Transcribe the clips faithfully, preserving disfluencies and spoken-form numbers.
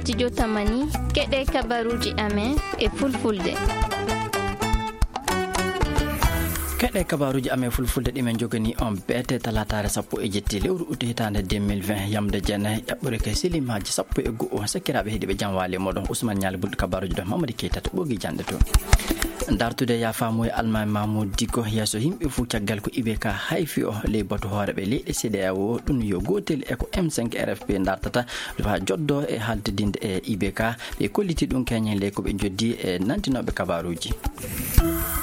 Studio Tamani, keɗe kabaruuji amen e fulfulde. Keɗe kabaruuji amen fulfulde ɗi men jogani on beete talaataare sappo e jetti lewru utu hitaande deux mille vingt, yamde jeenayi ƴaɓɓore kay silimaaji sappo e go'o. Sakiraaɓe heɗiiɓe, jam waali e moɗon. Ousmane Ñaali Bulɗo kabaruuji ɗo, Mamadi Keita to ɓoogi jannde to. Dartude yaafamuya Almaami Mamoudou Dicko yeeso yimɓe fuu caggal ko I B K hayfi o ley batu hooreeɓe leyɗe C D A O, ɗum yo gootel e ko M cinq R F P dartata faa joddo e haaltidinde e I B K. Ɓe kolliti ɗum keñen ley ko ɓe joddi e nantinooɓe kabaruuji.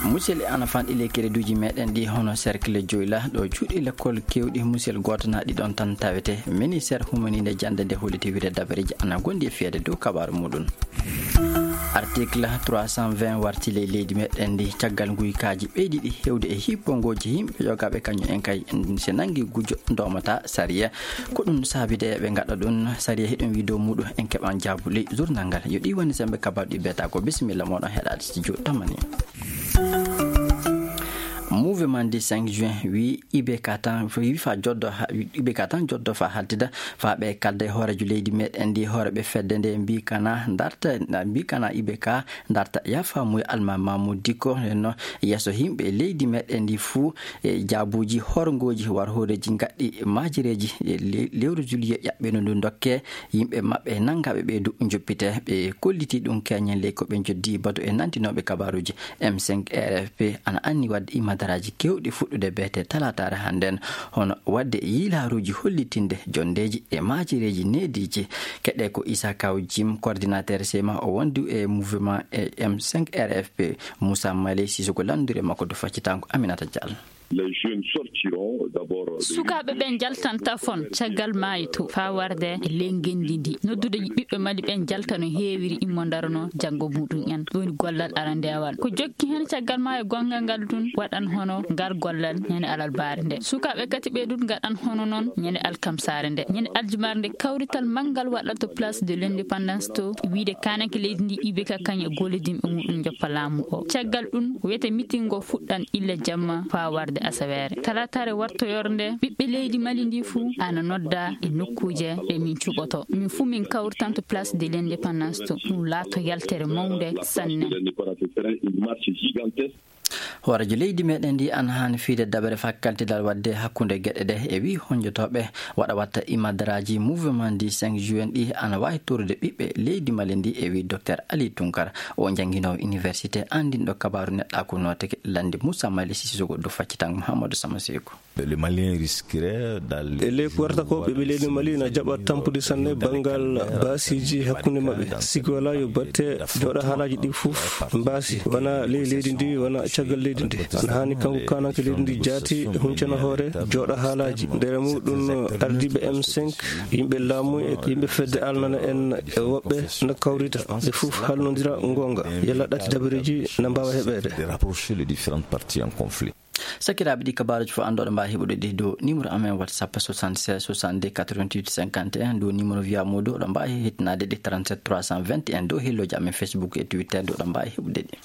Musel e ana fanɗi ley kereduuji meɗen ɗi hono Cercle Dioula ɗo cuuɗi lekkol keewɗi musel gooto na ɗi ɗon tan tawete. Ministeer humaniinde jannde nde holliti wiyde dabareeji ana ngondi e fiyeede dow kabaaru muɗum. Article trois cent vingt warti ley leydi meɗen ndi caggal nguykaaji ɓeydiiɗi heewde e hippongooji yimɓe yogaaɓe kañum en kay, si nanngi gujo ndoomata sariya. Ko ɗum saabi de ɓe ngaɗa ɗum sariya hiɗum wi dow muɗum en keɓan jaabu ley journal ngal. Yo ɗi woni sembe kabaru ɗi beeta ko. Bisimilla moɗon heɗaade studio Tamani. Mouvement du cinq juin wi I B K tan, wi fa joddo ha, I B K tan joddo fa haltida, fa ɓe kalda e hooreejo leydi meɗen ndi, hooreeɓe fedde nde mbi kana darta, mbi kana I B K darta yaafamuya Almaami Mamoudou Dicko henno yeeso yimɓe leydi meɗen ndi fuu e jaabuuji horngooji war hooreeji ngaɗɗi maajireeji e le-, lewru juillet ƴaɓɓeno ndu dokke yimɓe maɓɓe nanngaaɓe ɓeydu njoppite. Ɓe kolliti ɗum keñen ley ko ɓe joddi batu e nantinooɓe kabaruuji. M cinq R F P ana anni waɗde imadaraaji keewɗi fuɗɗude beete talaataare hannden, hono waɗde yiilaaruuji hollitinde jonndeeji e maajireeji neediiji. Keɗe ko Issa Kaw Jim, coordinateur sema o wondu e mouvement e M cinq R F P, Moussa Mali Sissoko lanndure makko du faccitango Aminata Diallo. Les jeunes sortiront d'abord de Sukaaɓe ɓen jaltan tafon caggal maayo to faa warde e ley ngenndi ndi. Noddude ɓiɓɓe Mali ɓen jalta no heewiri immo ndarano janngo muɗum en. Ɗum woni gollal arandeewal. Ko jokki hen caggal maayo gonngal ngal ɗum waɗan hono ngal gollal ñande alarbaare nde. Sukaaɓe kadi ɓe ɗum ngaɗan hono non ñande alkamsaare nde. Ñande aljumare nde kawrital manngal waɗata to Place de l'Indépendance to wiide kaananke leydi ndi I B K kañum e gollidinɓe muɗum joppa laamu o. Caggal ɗum wiyete mitin ngo fuɗɗan illa jamma faa warde asaweere. Talaataare wartoyorde nde, ɓiɓɓe leydi Mali ndi fuu ana nodda e nokkuuje ɗe min cuɓoto. Min fuu min kawritan to Place de l'Indépendance to. Ɗum laato yaltere mawnde sanne. Hooreejo leydi meɗen ndi ana haani fiyde dabere faa kaltidal waɗde hakkunde geɗe ɗe e wi honjotooɓe waɗa watta imadaraaji mouvement du cinq juin ɗi ana waawi torude ɓiɓɓe leydi Mali ndi e wi Docteur Ali Tunkara, o jannginoowo université anndinɗo kabaaru neɗɗaaku nooteke lannde Moussa Mali Sissoko du faccitango Mouhamadou Sama Seku. Le Malien risquerait d'aller E ley ko warta ko, ɓiɓɓe leydi Mali na jaɓa tampude sanne banngal baasiiji hakkunde maɓɓe. Sigi wala yo batte jooɗa haalaaji ɗi fof mbaasi, wona ley leydi ndi, wona caggal leydi ndi. Ana haani kanko kaananke leydi ndi jaati huncana hoore, jooɗa haalaaji. Nder muɗum ardiiɓe M cinq, yimɓe laamu e yimɓe fedde alnana en e woɓɓe na kawrita. Ɓe fof haalnondira goonga. Yalla ɗati dabareeji na mbaawa heɓeede. De rapprocher les différentes parties en conflit. Sakiraaɓe, ɗi kabaaruuji fof anndu oɗo mbaawi heɓude ɗi dow numéro amen WhatsApp soixante-seize soixante-deux quatre-vingt-huit cinquante et un, dow numéro Via Modo oɗo mbaawi hettinaade ɗi trente-sept trois cent vingt et un, dow hellooji amen Facebook e Twitter dow oɗo mbaawi heɓude ɗi.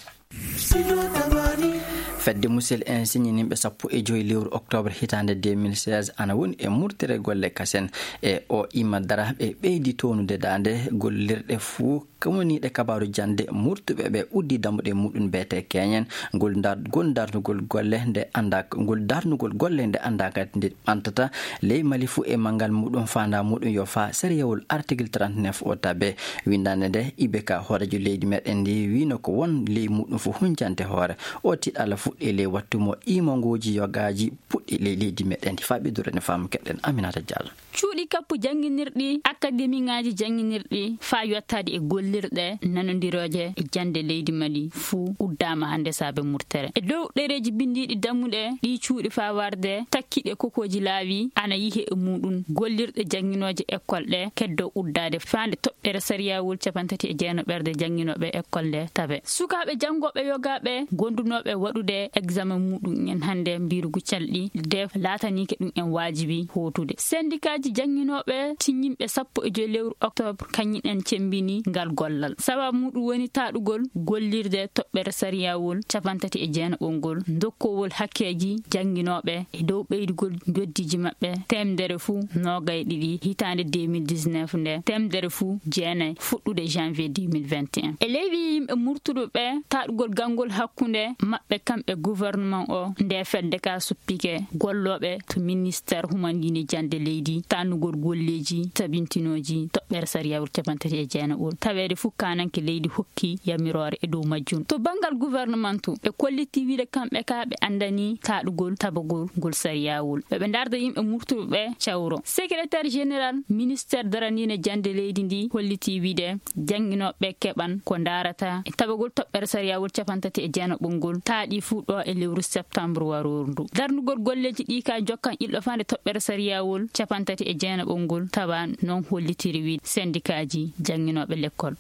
Fedde Musel en siñininɓe sappo e joy lewru octobre hitaande deux mille seize ana woni e murtere golle kasen e o ima dara ɓe ɓeydi townude daande gollirɗe fuu Kawniiɗe kabaaru jannde murtuɓe ɓe uddi dammuɗe muɗum beete keñen. Ngol ndar-, ngol darnugol golle nde anndaa, ngol darnugol golle nde anndaa kadi nde ɓantata ley Mali fuu e manngal muɗum faandaa muɗum yo faa sariyawol article trente-neuf o tabe. Winndaande nde I B K hooreejo leydi meɗen ndi wiino ko won ley muɗum fof huncante hoore. O tiɗalla fuɗɗi ley wattu mo iimongooji yogaaji puɗɗi ley leydi meɗen ndi faa ɓeydorani faamu keɗen Aminata Diallo. Cuuɗi kappu jannginirɗi, akademiŋaaji jannginirɗi, faa yottaade e gollirɗe nanondirooje e jannde leydi Mali fuu uddaama hannde saabe murtere. E dow ɗereeji binndiiɗi dammuɗe ɗii cuuɗi faa warde takkiiɗe kokooji laawi ana yihe e muuɗum gollirɗe jannginooje ekkol ɗe keddoo uddaade faande toɓɓere sariyawol cappanɗe tati e jeenaɓerde jannginooɓe ekkol nde tabe. Sukaaɓe janngooɓe yogaaɓe gondunooɓe waɗude eksamen muuɗum en hannde mbiirugu calɗi de laataniike ɗum en waajibi hootude. Sendikaaji jannginooɓe tiññinɓe sappo e joy lewru octobre kañum en cemmbini ngal gollal. Sababu muɗum woni taaɗugol gollirde toɓɓere sariyawol capantati e jeenaɓol ngol, dokkowol hakkeeji jannginooɓe e dow ɓeydugol njoddiiji maɓɓe teemedere fuu noogay ɗiɗi hitaande deux mille dix-neuf nde, teemedere fuu jeenay fuɗɗude janvier deux mille vingt et un. E ley wii yimɓe murtuɓe ɓe, taaɗugol ganngol hakkunde maɓɓe kamɓe gouvernement o, nde fedde ka suppike gollooɓe to ministère humandiinde jannde leydi, taaɗugol golleeji tabintinooji toɓɓere sariyawol capantati e jeenaɓol. Taweede fuu kaananke leydi hokki yamiroore e dow majjum. To banngal gouvernement to, ɓe kolliti wiide kamɓe ka ɓe anndani taaɗugol tabagol ngol sariyawol. Ɓe ɓe ndaarda yimɓe murtuɓe ɓe cawro. Secrétaire général ministère darandiinde jannde leydi ndi holliti wiide jannginooɓe keɓan ko ndaarata e tabagol toɓɓere sariyawol capantati e jeenaɓol ngol taaɗi fuu ɗo e lewru septembre warooru ndu. Darnugol golleeji ɗi ka jokkan ilɗo faande toɓɓere sariyawol capantati e jeenaɓol ngol tawa noon hollitiri wiide sendikaaji jannginooɓe lekkol.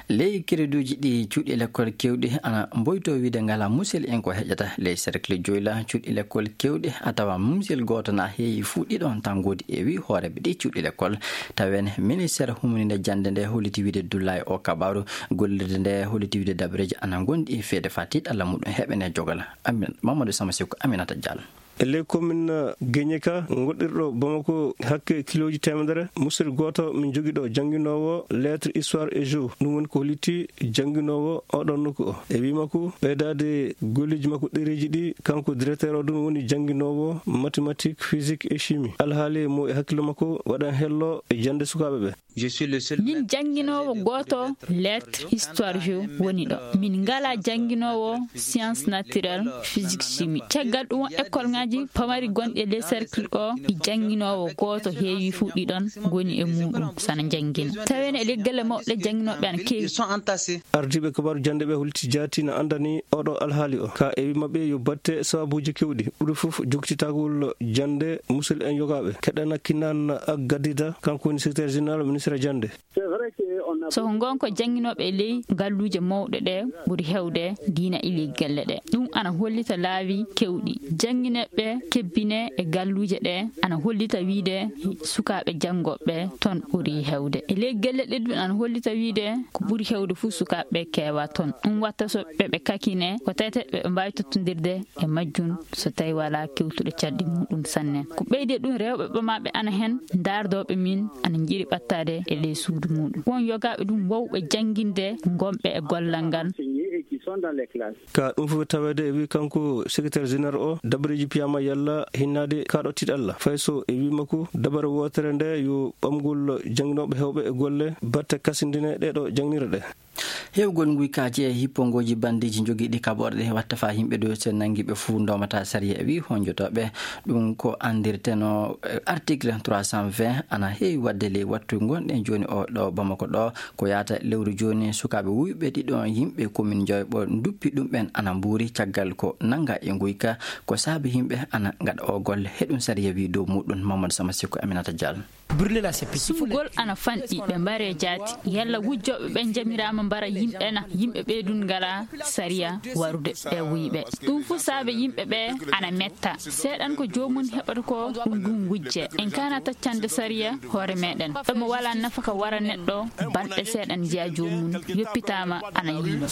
Ley kereduuji ɗi cuuɗi lekkol keewɗi ana mboytoo wiide ngalaa musel en ko heƴata. Ley cercle joyla cuuɗi lekkol keewɗi a tawa musel gooto na heewi fuu ɗiɗon tan ngoodi e wii hooreeɓe ɗi cuuɗi lekkol. Tawen ministère humandiinde jannde nde holliti wiide dullaay o kabaaru gollirde nde holliti wiide dabareeji ana ngondi e feede faa tiiɗalla muɗum heɓene jogala. Amin, Mamadou Sama Sikko, Aminata Diallo. E ley commune Guénié ka, goɗɗirɗo Bamako hakke kilooji teemedere, musel gooto min jogii ɗo jannginoowo lettre, histoire et géo. Ɗum woni ko hollitii jannginoowo oɗon nokku o. E wii makko, ɓeydaade golleeji makko ɗereeji ɗi, kanko directeur o ɗum woni jannginoowo mathématique, physique et chimie. Alhaali mo e hakkille makko waɗan hello e jannde sukaaɓe ɓe. Min jannginoowo gooto lettre, histoire géo woni ɗo. Min ngalaa jannginoowo science naturelle, physique, chimie. Caggal ɗum, écoleŋaaji pamari gonɗi e ley cercle o, ɗi jannginoowo gooto heewi fuu ɗiɗon ngoni e muuɗum sana njanngina. Tawen e ley galle mawɗe ɗe jannginooɓe ana keewi. Ardiiɓe kabaaru jannde ɓe holti jaati na anndani oɗo alhaali o. Ka e wii maɓɓe yo batte sababuuji keewɗi. Ɓuri fof jokkititagol jannde musel en yogaaɓe. Keɗana Kinan Aggadida, kanko woni secrétaire général ministère jannde. So ko ngoonga, jannginooɓe e ley galluuje mawɗe ɗe ɓuri heewde diina e ley galle ɗe. Ɗum ana hollita laawi keewɗi. Jannginooɓe kebbine e galluuje ɗe ana hollita wiide sukaaɓe janngooɓe toon ɓuri heewde. E ley galle ɗe ɗum ana hollita wiide ko ɓuri heewde fof sukaaɓe keewa toon. Ɗum watta so ɓe ɓe kakine ko tawetee ɓe ɓe mbaawi tottondirde e majjum so tawi walaa kewtuɗo calɗi muɗum sanne. Ko ɓeydi e ɗum, rewɓe ɓamaaɓe ana heen, ndaardooɓe min ana njiɗi ɓattaade e ley suudu muɗum. Won yogaaɓe ɗum wowɓe jannginde ngonɓe e gollal ngal. Ka ɗum fof taweede e wii kanko secrétaire général o, dabareeji piyaama yalla hinnaade kaaɗo tiiɗalla. Fay so e wii makko dabare wootere nde yo ɓamgol jannginooɓe heewɓe e golle batte kasindine ɗeeɗo janngirɗe. Heewgol nguykaaji e hippongooji bandiiji jogiiɗi kaɓorɗe watta faa yimɓe dow so nanngi ɓe fuu ndoomata sariya e wii honjotooɓe. Ɗum ko anndirteno, eh, article trois cent vingt ana heewi waɗde ley wattu ngonɗen jooni o ɗo Bamako ɗo. Ko yaata lewru jooni sukaaɓe wuyɓe ɗiɗo yimɓe commune Dioyɓo nduppi ɗum ɓen ana mbuuri caggal ko nannga e nguyka ko saabi yimɓe ana ngaɗa o golle. Heɗum sariya wii dow muɗum Mamadou Sama Sikko, Aminata Diallo. Sumgol ana fanɗi, ɓe mbaree jaati. Yalla wujjooɓe ɓen njamiraama mbara yimɓe na? Yimɓe ɓee ɗun ngalaa sariya warude ɓe wuyɓe. Ɗum fuu saabe yimɓe ɓee ana metta. Seeɗan ko joomun heɓata ko ɗum ɗum wujje. En kaana taccande sariya hoore meɗen. Ɗo mo walaa nafaka wara neɗɗo, balɗe seeɗan njiya joomun yoppitaama ana yiino.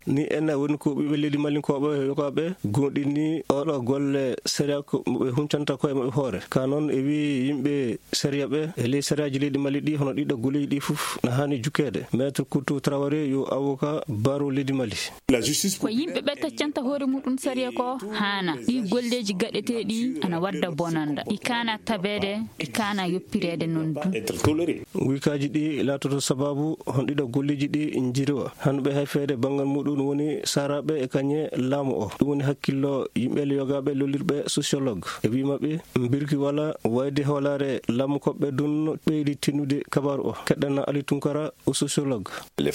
Ni en woni ko ɓiɓɓe leydi Malinkooɓe yokaaɓe goonɗini oɗo golle sariya ko mo ɓe huncanta koye maɓɓe hoore. Ka noon e wii yimɓe sariya ɓe e ley sariyaaji leydi Mali ɗi, hono ɗiɗo golleeji ɗi fof na haani jukkeede. Maître Koutou Traoré yo avocat baro leydi Mali. Ko yimɓe ɓe taccanta hoore muɗum sariya ko haana. Ɗi golleeji gaɗeteeɗi ana wadda bonanda. Ɗi kaana tabeede, ɗi kaana yoppireede noon dum. Nguykaaji ɗi laatoto sababu hon ɗiɗo golleeji ɗi njiriwa. Hanɓe hay feede banngal muɗum woni saaraaɓe e kañe laamu o. Ɗum woni hakkillo yimɓe yogaaɓe lollirɓe sociologue. E wii maɓɓe, mbirki wala wayde hoolaare laamu koɓɓe dun ɓeydi tinnude kabaaru o. Keɗɗana Ali Tunkara o sociologue.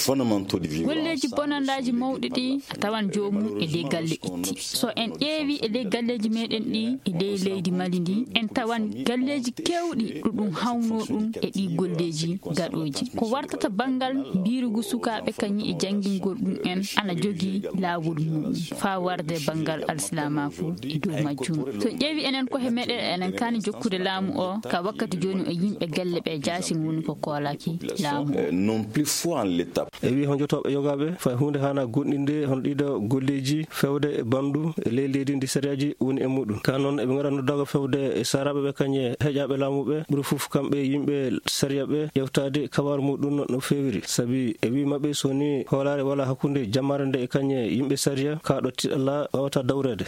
Golleeji bonandaaji mawɗi ɗi, a tawan joomum e ley galle itti. So en ƴeewi e ley galleeji meɗen ɗi e ley leydi Mali ndi, en tawan galleeji keewɗi ɗo ɗum hawnoo ɗum e ɗi golleeji gaɗooji. Ko wartata banngal mbiirugu sukaaɓe kañum e janngingol ɗum en ana jogii laawol mum faa warde banngal alsilaamaaku e dow majjum. So ƴeewi enen ko he meɗen, enen kaani jokkude laamu o, ka wakkati jooni o yimɓe galle ɓe jaasin woni ko koolaki laamu o. E wi honjotooɓe yogaaɓe fay huunde haana goɗɗinde hono ɗiɗo golleeji fewde e banndu e ley leydi ndi sariyaaji woni e muɗum. Ka noon eɓe ngara noddago fewde e saraaɓe ɓe kañe heƴaaɓe laamu ɓe ɓuri fof kamɓe yimɓe sariya ɓe ƴewtaade kabaru muɗum no feewiri. Sabi e wi maɓɓe so ni hoolaare wala hakkunde jammaare nde e kañe yimɓe sariya ka ɗo tiɗalla wawata dawreede.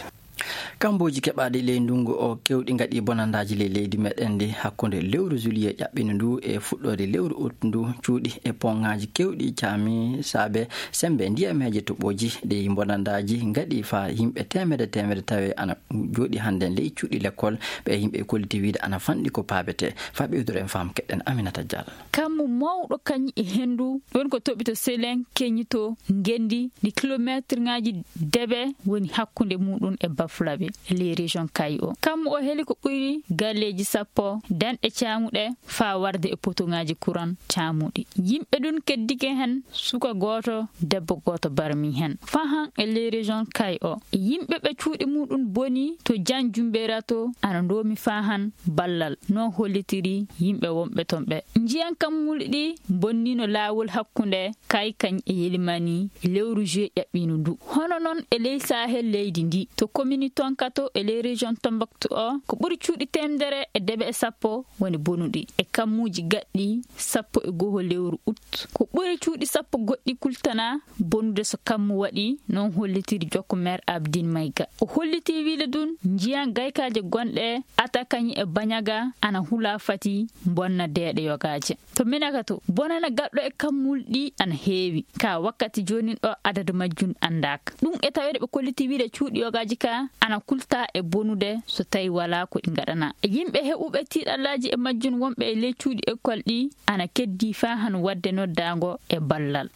Kammbooji keɓaaɗi ley ndunngu o keewɗi ngaɗi bonandaaji ley leydi meɗen ndi hakkunde lewru juillet ƴaɓɓini ndu e fuɗɗoode lewru août ndu. Cuuɗi e poŋaaji keewɗi caami saabe semmbe ndiyameeje toɓooji ɗi bonandaaji ngaɗi faa yimɓe teemedde teemedde tawe ana jooɗi hannden ley cuuɗi lekkol. Ɓe yimɓe kolliti wiide ana fanɗi ko paabetee. Faa ɓeyduren faam keɗen Aminata Diallo. Kammu mawɗo kañum e henndu ɗon ko toɓito Selen, Keñito, Ngenndi, ndi kilomeetirŋaaji debe woni hakkunde muɗum e Bafulaɓe e ley région Kayi o. Kammu o heli ko ɓuri galleeji sappo danɗe caamuɗe faa warde e potoŋaaji kuran caamuɗi. Yimɓe ɗum keddike heen, suka gooto, debbo gooto barmi heen. Faa han e ley région Kayi o, yimɓe ɓe cuuɗi muɗum boni to Jan Jumbeera to ana ndoomi faa han ballal. Noon hollitiri yimɓe wonɓe toon ɓe. Njiyan kammuuli ɗi bonnino laawol hakkunde Kayi kañ e Yelimani e lewru juillet ƴaɓɓiino ndu. Hono noon e ley Sahel leydi ndi, to komini Tonkato e ley région Tombouctou o, ko ɓuri cuuɗi teemedere e debe e sappo woni bonuɗi e kammuuji gaɗɗi sappo e goho lewru août. Ko ɓuri cuuɗi sappo goɗɗi kultanaa bonude so kammu waɗi, noon hollitiri jokko meer Abdin Mayga. O hollitii wiide ɗum njiyan gaykaaje gonɗe Atakañi e Bañaga ana hula fati bonna deeɗe yogaaje. To Minakato, bonana gaɗɗo e kammuuli ɗi ana heewi. Ka wakkati joonin ɗo adadu majjum anndaaka. Ɗum e taweede ɓe kollitii wiide cuuɗi yogaaji ka ana kulta e bonude so tawi walaa ko ɗi ngaɗanaa. E yimɓe heɓuɓe tiiɗallaaji e majjum wonɓe e ley cuuɗi ekkol ɗi ana keddii faa han waɗde noddaango e ballal.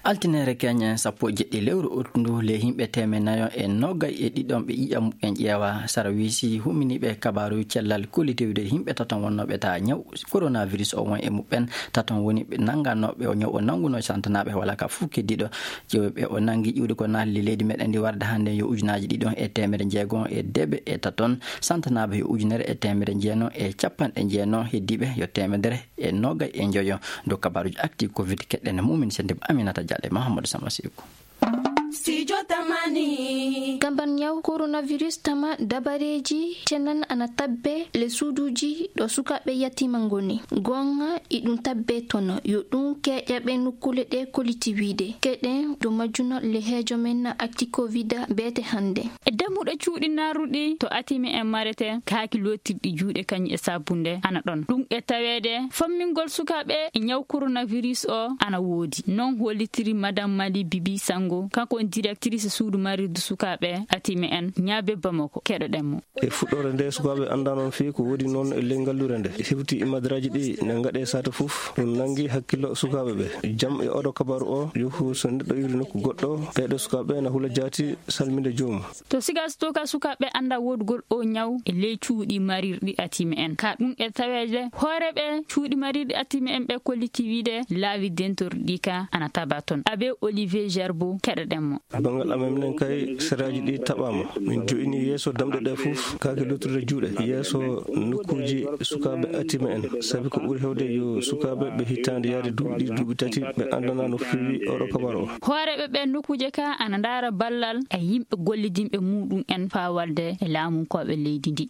Altineere keñe sappo e jeɗɗi lewru août ndu, le yimɓe teemenayo e nogay e ɗiɗon ɓe ƴiƴam en ƴeewa. Sara wiisi humminiiɓe kabaaru cellal kolli tewde yimɓe taton wonnooɓe ta ñaw coronavirus o won e muɓɓen. Taton woni ɓe nannganooɓe o ñaw o nanngunoo santanaaɓe wala ka fof keddiiɗo. Ƴeewɓe o nanngi ƴiwde ko naatli leydi meɗen ndi warde hannde yo ujunaaji ɗiɗon e teemedde jeegon e deeɓe e taton. Santanaaɓe yo ujunere e teemedde jeenon e capanɗe jeenon, heddiiɓe yo teemedere e nogay e njoyo. Dow kabaaruuji active covid keɗɗen Mumin Sendib, Aminata Diallo e Mahamadou Sama Seku. Studio Tamani. Gambar ñaw coronavirus tama dabareeji cenan ana tabbe le suuduuji ɗo sukaaɓe yatiima ngoni. Goonga iɗum tabbe tono yo ɗum keeƴaɓe nokkuule ɗe koliti wiide. Keɗen dow majjuna le heejo men acti covid beete hannde. E dammuɗe cuuɗi narruɗi to atimi en marete kaaki lootirɗi juuɗe kañum e sabbunde ana ɗon. Ɗum e taweede fammingol sukaaɓe e ñaw coronavirus o ana woodi. Noon hollitiri Madame Mali Bibi Sango, kanko on directrice suudu marirdu sukaaɓe atimi en ñaabe Bamako. Keɗoɗen mo. E fuɗɗoore nde sukaaɓe anndaa noon fii ko woodi noon e ley ngallure nde. Hewti e madaraaji ɗi ne ngaɗe saate fof. Ɗum nanngi hakkillo sukaaɓe ɓe. Jam e oɗo kabaru o, yuhu so neɗɗo iwri nokku goɗɗo, ɓeeɗo sukaaɓe na hula jaati salminde joomum. To siga so to ka sukaaɓe annda woodugol o ñaw e ley cuuɗi marirɗi atimi en. Ka ɗum e taweede hooreeɓe cuuɗi marirɗi atimi en ɓe kolliti wiide laawi dentorɗi ka ana taba toon. Abbé Olivier Gerbo, keɗoɗen mo. Banngal amen minen kay saraaji ɗi taɓaama. Min jo'ini yeeso damɗe ɗe fof kaake lottude juuɗe. Yeeso nokkuuji sukaaɓe atimi en. Sabi ko ɓuri hewde yo sukaaɓe ɓe hitaande yaade duuɓi ɗiɗi, duuɓi tati, ɓe anndanaa no feewi oɗo kabaru o. Hooreeɓe ɓe nokkuuje ka ana ndaara ballal e yimɓe gollidinɓe muɗum en faa walde e laamunkooɓe leydi ndi.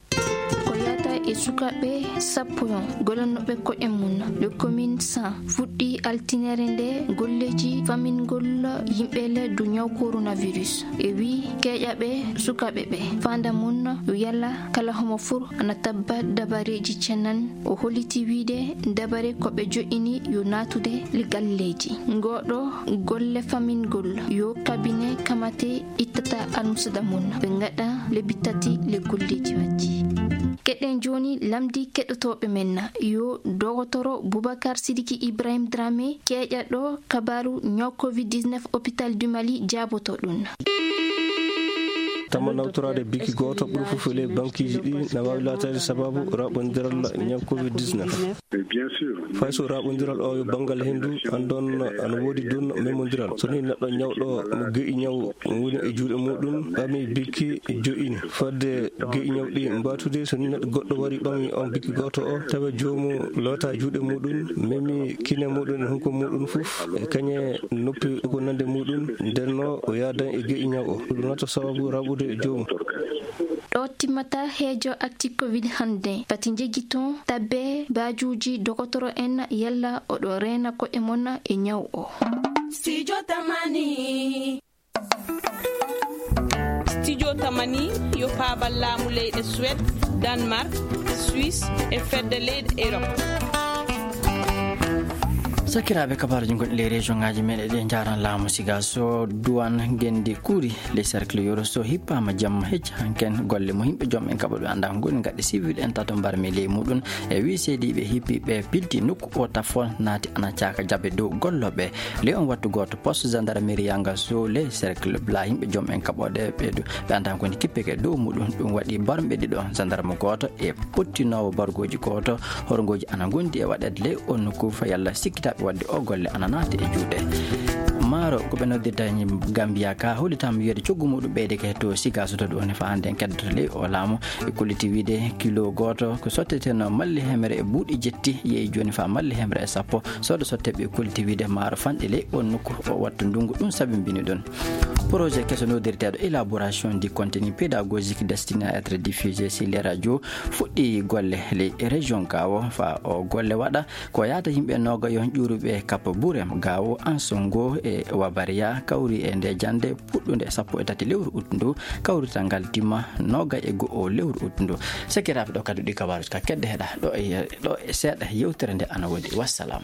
Ko yata e sukaaɓe sappo yon gollanooɓe koɗe mum, le commune cent, fuɗɗi altinere nde golleeji famingol yimɓe le du ñaw coronavirus. E wi keeƴaɓe sukaaɓe ɓe, fanda mum yo yalla kala homo fur ana tabba dabareeji cenan. O holliti wiide dabare ko ɓe jo'ini yo naatude le galleeji. Ngoɗo golle famingol yo kabine kamate ittata almusada mum, ɓe ngaɗa lebbi tati le golleeji majji. Keɗen Woni lamdi keɗotooɓe men na yo dogotoro Boubacar Sidiki Ibrahim Dramé keeƴa ɗo kabaaru ñaw covid dix-neuf hôpital du Mali jaaboto ɗum. Tama nawtoraade biki gooto ɓuri fof e ley bankiiji ɗi na waawi laataade sababu raɓondiral ñaw covid dix-neuf. Fay so raɓondiral o yo banngal henndu, anndon ana woodi ɗum memondiral. So ni neɗɗo ñawɗo mo ge'i ñaw woni e juuɗe muɗum, ɓami biki jo'ini fadde ge'i ñaw ɗi mbaatude. So ni neɗɗo goɗɗo wari ɓami on biki gooto o, tawa joomu loota juuɗe muɗum, memi kine muɗum e hunko muɗum fof, e kañe noppi ko nande muɗum, ndenno o yaadan e ge'i ñaw o. Ɗum nata sababu raɓude joomu. Ɗo timmata heejo acti covid hannde. Pati njejji toon tabbe baajuuji dogotoro en yalla oɗo reena koɗe mon e ñaw o. Studio Tamani. Studio Tamani yo paabal laamu leyɗe Suède, Danemark, Suisse e fedde leyɗe Europe. Sakiraaɓe, kabaruji gonɗi ley région ngaji men, eɗen jaran laamu siga so duwan gendi kuuri. Les cercles yoro so hippama jamma hecci hanken golle mo yimɓe joom en kaɓa ɓe anda ko goni gaɗe civil en tato mbarmi ley muɗum e wi seediɓe hippiɓe pilti nokku o tafon naati ana caaka jaɓe dow golloɓe ley on wattu goto poste gendarmerie yanga so les cercles bla yimɓe joom en kaɓoɗe ɓe du ɓe anda goni kippeke dow muɗum ɗum waɗi barmɓe ɗiɗo gendarme goto e pottinowo bargoji goto horgoji ana gondi e waɗede ley on nokku fa yalla sikkitaɓe wadde o golle ana naati e juuɗe maaro ko ɓe noddirta e Gambia ka hollitama wiyede coggu muɗum ɓeydeke to siga so to ɗum woni fa hannde en keddoto ley o laamu e kolliti wiide kilo goto ko sotteteno malli hemre e buuɗi jetti yeeyi joni fa malli hemre e sappo sodo sotteɓe kolliti wiide maaro fanɗi ley on nokku o wattu ndungu ɗum sabimbini ɗum projet keso nodirteɗo élaboration du contenu pédagogique destiné à être diffusé sur les radios fuɗɗi golle ley région gawo fa o golle waɗa ko yaata yimɓe noga yon ƴuruɓe kappa burem gawo ansongo e wabariya kawri e nde jande puɗɗunde sappo e tati lewru uttu ndu kawrital ngal dimma noga e go'o lewru uttu ndu sekiraɓe ɗo kadi ɗi kabaruji ka kedde heɗa ɗo e ɗo e seeɗa yewtere nde ana woodi wassalam.